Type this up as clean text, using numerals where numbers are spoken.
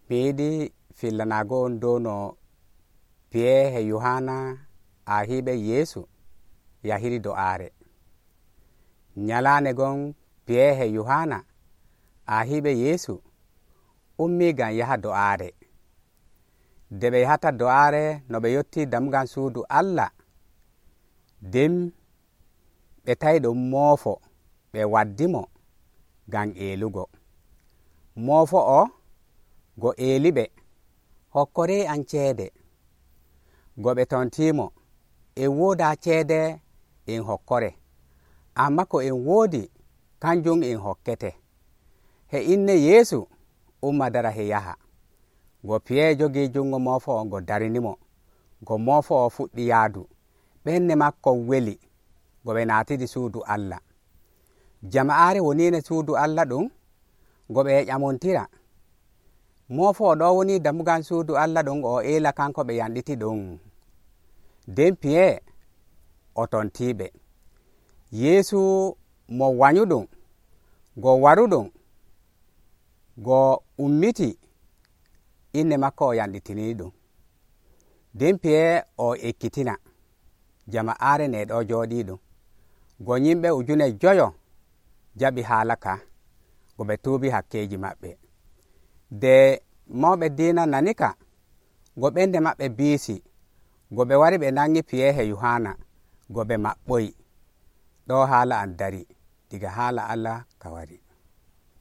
mi yiɗi fillanaago on dow no piyeehe Yohana aahiiɓe Yeesu yahiri do'aare. Nyalaande gon piyeehe Yohana aahiiɓe Yeesu ummii ngam yaha do'aare. Nde ɓe yahata do'aare no ɓe yottii dammugal suudu Allah, nden ɓe tawi ɗum moofo ɓe waddimo ngam eelugo. Moofo o go eeliɓe, hokkoree am ceede. Go ɓe tontiimo, en woodaa ceede en hokkore, ammaa ko en woodi kanjum en hokkete. He inne Yeesu umma dara he yaha. Go piyeejo jogii jungo moofo o go darinimo. Go moofo o fuɗɗi yaadu. Ɓernde makko weli go ɓe naatidi suudu Allah. Jama'aare woniino suudu Allah ɗum go ɓe ƴamontira. Moofo o ɗo woni dammugal suudu Allah ɗum o eela kanko ɓe yanɗiti ɗum. Nden piye o tontiiɓe. Yeesu mo wanyuɗum go waruɗum go ummiti, inne makko o yanɗitinii ɗum. Nden piye o ekkitina jama'aare ne ɗo jooɗii ɗum. Go yimɓe 5,000 jaɓi haala ka go ɓe tuubi hakkeeji maɓɓe. De mawɓe diina nani ka, go ɓernde maɓɓe biisi, go ɓe wari ɓe nangi piyeehe Yohana, go ɓe maɓɓoyi. Ɗo haala an dari, diga haala Allah ka wari.